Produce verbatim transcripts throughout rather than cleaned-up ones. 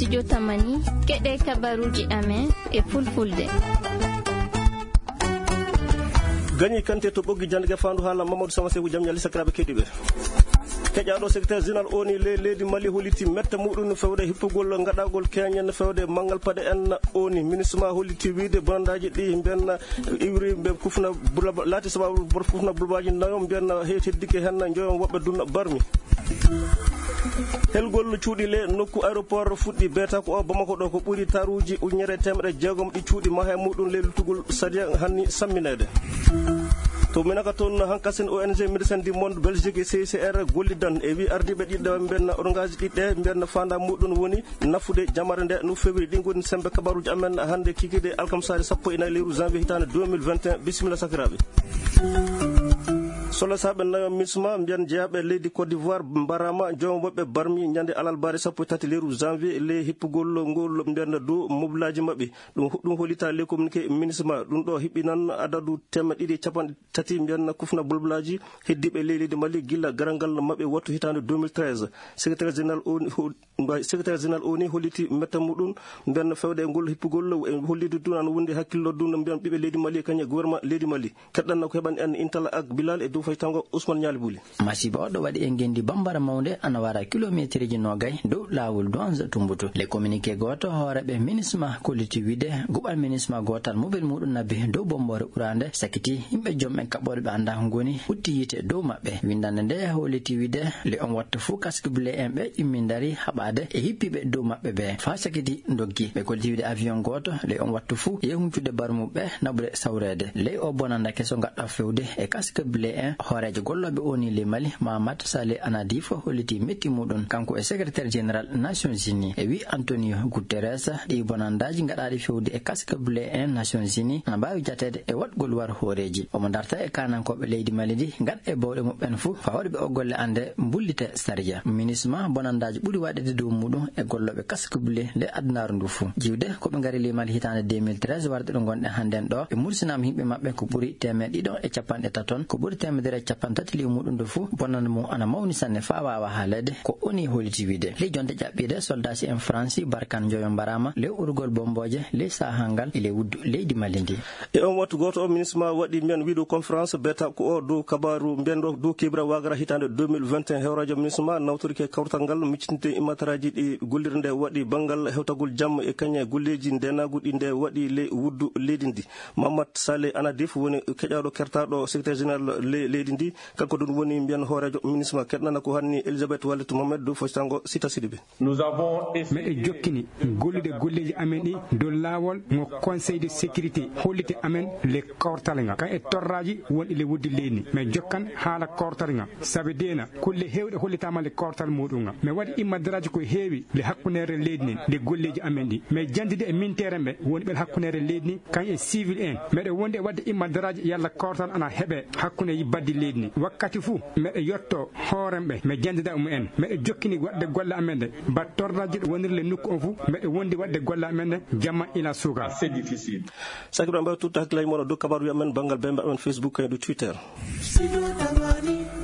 studio Tamani keɗe kabaruji amen e fulfulde. Gagné Kanté to ɓoggi jande fandu haala Mamadou Sama Sekou jam ñalli sakiraɓe keɗiɓe. Keƴaɗo secrétaire général oni le leydi Mali holliti metta muɗum no fewde hippugol gaɗagol keñen no fewde mangal paɗe en oni ministre ma holliti wiide bonandaji ɗi mbiyanna iwri mbe kufna laati sababu bor kufna bulbaji nayo mbiyanna heetiddike hen joyon woɓɓe dunna barmi. Helgol cuuɗi le nokku aéroport fuɗɗi beeta ko o Bamako ɗo ko ɓuri taruji ujunere temedde jeegom ɗi cuuɗi mahe muɗum le lutugol sadia hanni samminede. To minaka toon hankasen O N G Médecins du Monde Belgique C C R gollidan e wi ardiɓe ɗiɗɗe mbiyanna orgage ɗiɗɗe mbiyanna fanda muɗum woni nafude jamare nde no fewri ɗi goni sembe kabaruji amen hande kikide alkamsare sappo e nayi lewru janvier hitande deux mille vingt et un bisimilla sakiraɓe. Solo saɓe nayo misma mbiyan jeyaɓe leydi Côte d'Ivoire mbarama joom woɓɓe barmi ñande alalbare sappo e tati lewru janvier le hippugol ngol mbiyanna dow mobilaji mabɓe ɗum ɗum hollita les communiqué ministre ma ɗum ɗo hiɓɓinan adadu temedde ɗiɗi capanɗe tati mbiyanna kufna bolbolaji heddiɓe leydi Mali gilla garangal mabɓe wattu hitande deux mille treize. secrétaire général oni secrétaire général oni holliti metta muɗum mbiyanna fewde e ngol hippugol e hollide dun an wonde hakkillo dun mbiyan ɓiɓe leydi Mali kañe gouvernement leydi Mali keɗɗanno ko heɓani en intala ak Bilal e dow faytango Ousmane Niali Bouli. Masiba oɗo waɗi e gendi bambara mawde ana wara kilométre ji nogay dow lawol Douanza Tumbutu. Le communiqué goto hooreɓe ministre ma kolliti wiide guɓal ministre ma gotal mobile muɗum nabbi dow bombore ɓurande sakiti yimɓe joom en kaɓɓoɗe ɓe anda ngoni hutti yite dow maɓɓe. Windande nde holliti wiide le on watta fou casque blé en ɓe ƴimmi dari haɓade e hippiɓe dow maɓɓe ɓe fa sakiti doggi. Ɓe kolliti wiide avion goto le on watta fou yehuncude barmuɓe naɓude sawrede ley o bonanda keso gaɗɗa fewde e casque blé en hoore golloɓe oni le Mali Mahamat Saleh Anadif holliti metti muɗum kanko e secrétaire général Nations Unies e wi Antonio Guterres ɗi bonandaji gaɗaɗi fewde e casque blé en Nations Unies ana mbawi jatede e waɗgol war hooreji omo darta e kanankoɓe leydi Mali ɗi gaɗa e bawɗe muɓɓen fou fawɗeɓe o golle ande bullite saria ministre ma bonandaji ɓuuri waɗede dow muɗum e golloɓe casque blé nde addunaru ndu fou jiwde koɓe gaari le Mali hitande deux mille treize warde ɗo gonɗen hannden ɗo ɓe mursinama yimɓe mabɓe ko ɓuuri temed ɗiɗo e capanɗe taton ko ɓuuri temedere capan tati liw muɗum do fou bonande mum ana mawni sanne fa wawa haalede ko oni holiti wiide ley jonde ƴaɓɓide soldasi en France Barkan Joyo mbarama ley urgol bomboje ley sahangal ele wuddu leydi Mali ndi. E on wattu goto o ministre ma waɗi mbiyan wiido conférence beta ko o dow kabaru mbiyan ɗo dow kibra wagara hitande deux mille vingt et un hewradio ministre ma nawtorike kawtal ngal miccinte immataraji ɗi gollirde nde waɗi banggal hewtagol jamma e kañe golleji ndenaguɗi nde waɗi ley wuddu leydi ndi. Mamadou Saleh Anadif woni keƴaɗo kertaɗo secrétaire général leydi ndi kanko ɗum woni mbiyan hoorejo ministre ma keɗnana ko hanni Elisabeth Wallet Mohamed dow fotango Sita Sidibé. Nous avons meɗe jokkini gollude golleji amen ɗi dow laawol mo conseil de sécurité hollite amen le kortal nga kan e torraji wonɗi le wuddi leydi mais jokkan haala kortal nga sabi dena kulle hewɗe hollitama le kortal muɗum nga mais waɗi immadaraji ko heewi le hakkunere leydi nden le golleji amen ɗi mais jandide e mintere ɓe woni ɓe hakkunere leydi ni kan e civil en meɗe wonde wadde immadaraji yalla kortal ana heeɓe hakkunde yi baddi leydi ni wakkati fou meɗe yotto hooremɓe mi jandida umu en meɗe jokkini waɗde golle amen nde mbat torraji ɗo wonirle nokku on fou meɗe wondi waɗde golle amen nde jamma ila suuka c'est difficile sakiro mbawi tutta hakkillaji moɗo dow kabaru amen banggal bembe amen Facebook e do Twitter.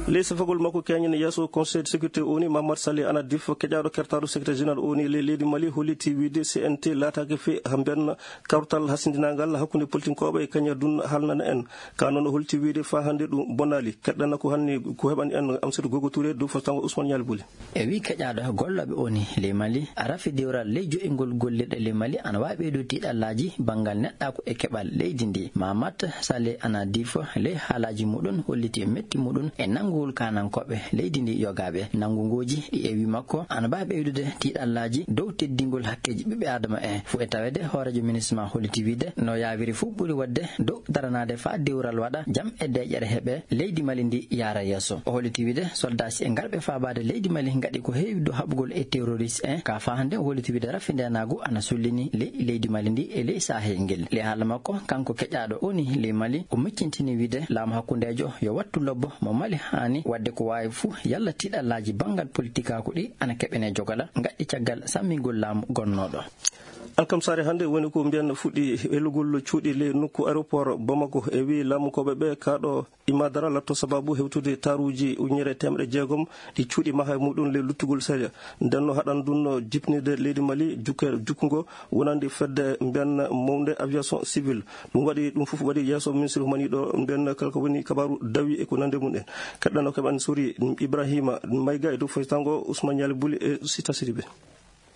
Les safagol makko keñen yesso conseil de sécurité oni Mamadou Saleh Anadif keƴaɗo kertaɗo secrétaire général oni le leydi Mali holliti wiide C N T laatake fe hamben kawtal hasindinagal hakkunde politinkoɓe e kañe dun halnana en ka noon holliti wiide fa hande ɗum bonali keɗɗana ko hanni ko heɓani en Amsatou Gogo Touré dow fotango Ousmane Niali Bouli. E wi keƴaɗo golloɓe oni le Mali arafi dewral ley jo'ingol golleɗe le Mali ana wawi ɓeydo tiɗallaji bangal neɗɗako e keɓal leydi ndi. Mamadou Saleh Anadif ley haalaji muɗum holliti e metti muɗum e nangugol kanankoɓe leydi ndi yogaɓe nangugoji ɗi e wi makko ana mbawi ɓeydude tiɗallaji dow teddingol hakkeji ɓiɓɓe adama en fo e tawede hoorejo ministre ma holliti wiide no yawiri fou ɓuuri wadde dow daranade fa dewral waɗa jaam e deƴƴere heeɓe leydi Mali ndi yara yesso o holliti wiide soldasi e ngarɓe fabade leydi Mali gaɗi ko heewi dow haɓugol e terroriste en ka fa hande o holliti wiide raffi ndenagu ana sullini ley leydi Mali ndi e ley sahel ngel le haala makko kanko keƴaɗo oni ley Mali o miccintini wiide laamu hakkundejo yo wattu lobbo mo Mali hani wadde ko wawi fou yalla tiɗallaji bangal politique ako ɗi ana keɓene jogala gaɗɗi caggal sammingol laamu gonnoɗo. alkamsare hannde woni ko mbiyan fuɗɗi elugol cuuɗi le nokku aéroport Bamako e wi laamukoɓe ɓe kaɗo imadara latto sababu hewtude taruji ujunere temɗe jeegom ɗi cuuɗi maha muɗum le luttugol séria ndenno haɗan ɗum jipnide leydi Mali jukke jukkugo wonandi fedde mbiyan mawde aviation civil ɗum waɗi ɗum fof waɗi yeeso ministre humaniɗo mbiyan kala ko woni kabaru dawi e ko nande mum en kaɗɗano keɓan sori Ibrahima Mayga e dow foytango Ousmane Yali Buli e Sita Sidibé.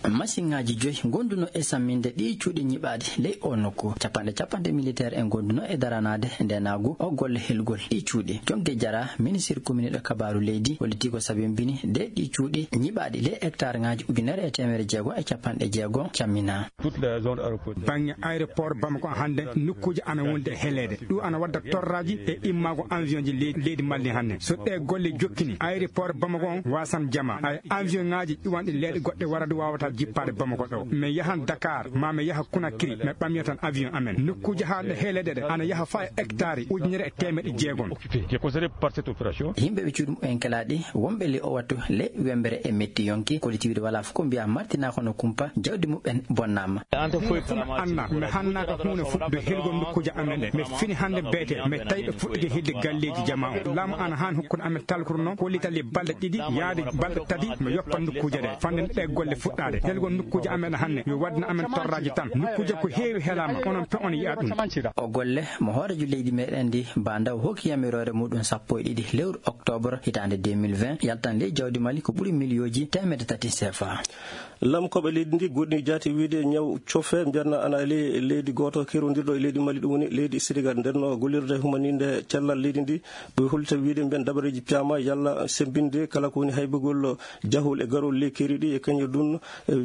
machine ngaji joyi gonduno e samminde ɗi cuuɗi nyiɓaɗi ley o nokku capanɗe capanɗe militaire en gonduno e daranade ndenagu o golle helgol ɗi cuuɗi jonge jara ministre communiɗo kabaru leydi holiti ko sabimbini de ɗi cuuɗi nyiɓaɗi ley hectare ngaji ujunere e temere jeego e capanɗe jeego cammina bangge aéroport Bamako hande nokkuji ana wonde helede ɗum ana wadda torraji e immago avion ji leydi Mali hande so ɗe golle jokkini aéroport Bamako on wasan jama ay avion ngaji ɗuwanɗe leyɗe goɗɗe warade wawata jippade Bamako ɗo mi yahan Dakar ma mi yaha Conakry mi ɓamya tan avion amen nokkuji haaɗe heelede ɗe ana yaha fa e hectare ujunere e temeɗe jeegom yimɓe ɓe cuuɗum en kelaɗi wonɓe li o wattu le wembere e metti yonki collectivité wala fof ko mbiya martina kono kumpa jawdi muɓen bonnama anna mi hannaka hunde fuɗɗude helgol nokkuji amen ɗe mi fini hande beete mi tawi ɓe fuɗɗude hilde galleji jama o laamu ana han hokkude amen talkuru noon hollitali balɗe ɗiɗi yaade balɗe tati mi yoppa nokkuje ɗe fande ɗe golle fuɗɗade helgol nokkuji amen hannde yo wadna amen torraji tan nokkuje ko heewi helama onon pe on yiya ɗum o golle mo hoorejo leydi meɗen ndi bandaw hokki yamirore muɗum sappo e ɗiɗi lewru octobre hitande deux mille vingt yaltan ley jawdi Mali ko ɓuuri millioji temedde tati C F A. lamkoɓe leydi ndi goɗɗi jaati wiide ñaw cofe mbiyatna ana ele leydi goto kerodirɗo e leydi Mali ɗum woni leydi Sénégal ndenno gollirde humaninde cellal leydi ndi ɓe hollita wiide mbiyan dabareji piyama yalla sembinde kala ko woni haybugol jahol e garol ley keriɗi e kañum ɗum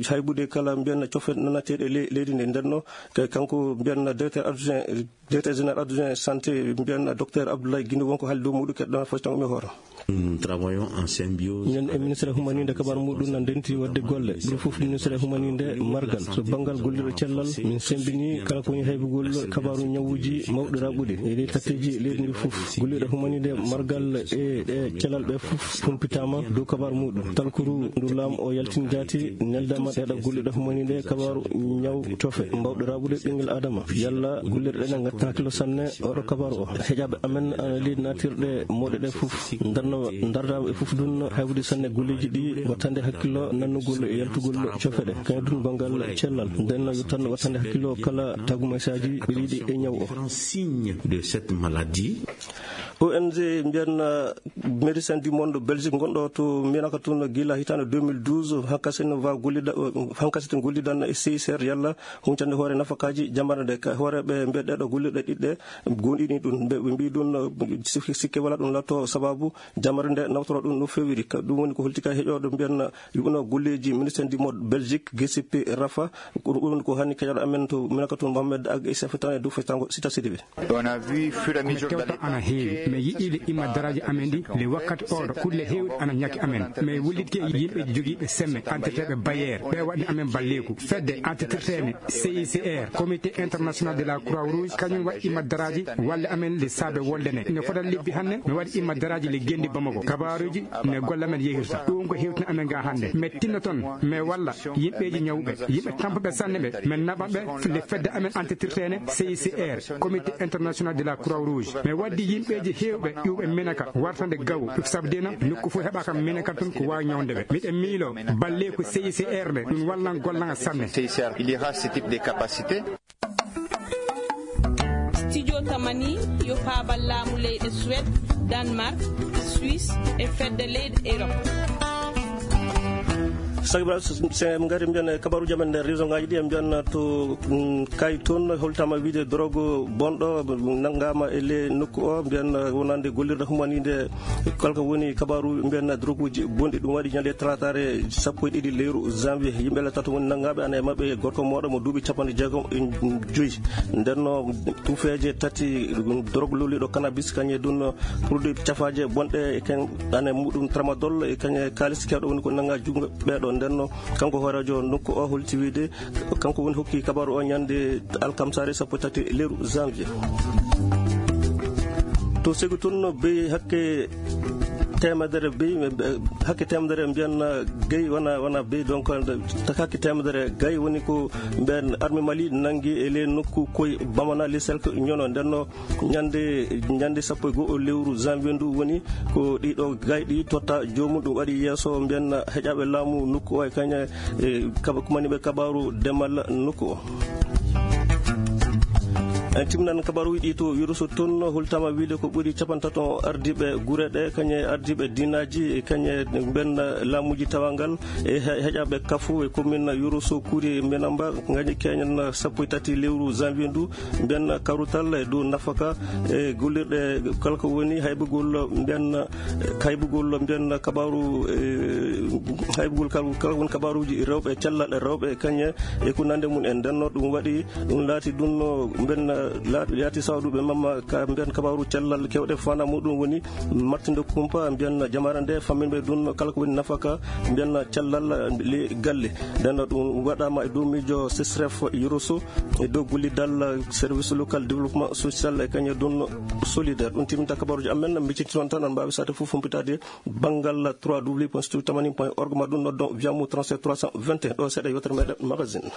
haybude kala mbiyan cofe nanateɗe leydi ndi ndenno kanko mbiyan directeur adjoint directeur général adjoint santé mbiyan docteur Abdoulaye Guindo wonko haali dow muɗum keɗɗa fotango mi hooro nous travaillons en symbiose ñen e ministre humaninde kabar muɗum nan denti wadde golle ɗum fof ministre humaninde margal so banggal gollirɗo cellal min sembini kala ko woni haybugol kabaru ñawuji mawɗi raɓuɗi e ley tatteji leydi ndi fof gollirɗo humaninde margal e ɗe cellal ɓe fof humpitama dow kabaru muɗum talkuru ndu laamu o yaltini jaati neldama ɗeɗa gollirɗo humaninde kabaru ñaw cofe mbawɗo raɓude ɓinguel adama yalla gollirɗe ɗe gatta hakkilo sanne oɗo kabaru o heeƴaɓe amen ana leydi natirɗe mawɗe ɗe fof darno dardaɓe e fof ɗum haybude sanne golleji ɗi wattande hakkillo nannugol e yaltugol cofe ɗe kañum ɗum banggal cellal ndenno yo tan wattande hakkillo kala tagumaysaji ɓiriɗi e ñaw o signe de cette maladie. O N G mbiyan médecin du monde Belgique gonɗo to mbiyana ka toon gila hitande deux mille douze hankkasene wa gollida hankkasete gollidan e C I C R yalla huncande hoore nafakaji jamarde ka hooreɓe mbiyeɗeɗo gollirɗe ɗiɗɗe gonɗini ɗum ɓe mbi ɗum sikke wala ɗum latto sababu jamarde nawtoro ɗum no fewiri ɗum woni ko holtika heƴoɗo mbiyan yuɓuno golleji médecin du monde Belgique G C P Rafa ɗum woni ko hanni keƴaɗo amen to mbiyana ka toon Mohamed Ag e safetan e dow fetango Sita Sidibé. On a vu fur et à mesure mi yiɗiɗe imma daraji amen ɗi le wakkati oɗo kulle hewɗe ana ñakki amen mais wullitke yimɓe joguiɓe semme entretene bayere ɓe waɗi amen balleku fedde entretene C I C R comité international de la croix rouge kañum waɗi imma daraji walle amen le saabe woldene ne fotan lebbi hannde mi waɗi imma daraji le gendi Bamako kabaruji ne golle amen yehirta ɗum ko hewtina amen ga hannde mais tinno toon mais walla yimɓeji ñawɓe yimɓe tampaɓe sanne ɓe min naɓaɓe le fedde amen entretene C I C R comité international de la croix rouge mais waddi yimɓeji hewɓe ƴuɓe minaka wartande gaw sabdina nokku fof heɓa kam minaka tun ko wawi ñawdeɓe miɗen miilo balle ko C I C R ɓe ɗum wallan gollanga sanne il y aura ce type de capacité. Studio Tamani yo faabal laamu leyɗe Suède Danemark Suisse e fedde leyɗe Europe. sagibra se ngari mbiyan kabaruji amen nder région ngaji ɗi e mbiyan to kay toon holtama wiide drogue bonɗo naggama e le nokku o mbiyan wonande gollirde humanide kalko woni kabaru mbiyan drogue uji bonɗi ɗum waɗi ñande talatare sappo e ɗiɗi lewru janvier yimɓe le tato woni naggaɓe ana e mabɓe gorko moɗo mo duuɓi capanɗe jeegom e joyyi ndenno tufeje tati drogue loliɗo cannabis kañe ɗum produit cafaje bonɗe e ken ane muɗum tramadol e kañe kalis kewɗo woni ko nagga jungo ɓeɗo ndenno kanko horajo nokku o holti wiide kanko woni hokki kabaru o ñande alkamsare sappo tati lewru janvier to segu toon be hakke temedere bey hakke temedere mbiyanna gay wana wana bey donc hakke temedere gay woni ko mbiyan armée Mali nangi e le nokku koy bamana le selko ñono ndenno ñande ñande sappo e go'o lewru janvier ndu woni ko ɗiɗo gayɗi totta jomum ɗum waɗi yeeso mbiyanna heƴaɓe laamu nokku o e kaña e kaba kumaniɓe kabaru demal nokku o. en timnan kabaru wiɗi to yuruso toon holtama wiide ko ɓuri capantato ardiɓe guure ɗe kañe ardiɓe dinaji e kañe ben laamuji tawangal e heƴaɓe kafu e commune yuruso kuuri menamba gañi keñen sappo e tati lewru janvier ndu ben karutal e dow nafaka e gollirɗe kala ko woni haybugol ben haybugol ben kabaru haybugol kala woni kabaruji rewɓe cellal rewɓe kañe e ko nande mum en ndenno ɗum waɗi ɗum laati ɗum ben yaati sawduɓe mamma ka mbiyan kabaru cellal kewɗe fana muɗum woni martinde kumpa mbiyan jamara nde famminɓe ɗum kala ko woni nafaka mbiyan cellal le galle nden ɗum waɗama e dow miijo sesref yuroso e dow gollidal service local développement social e kañe ɗum solidaire ɗum timinta kabaruji amen mbicciti toon tan an mbawi sade fof humpitade banggal trois w point studio tamani point org ma ɗum noddon wiyamu trente-sept trois cent vingt et un ɗo seeɗa yewtere meɗen magazine.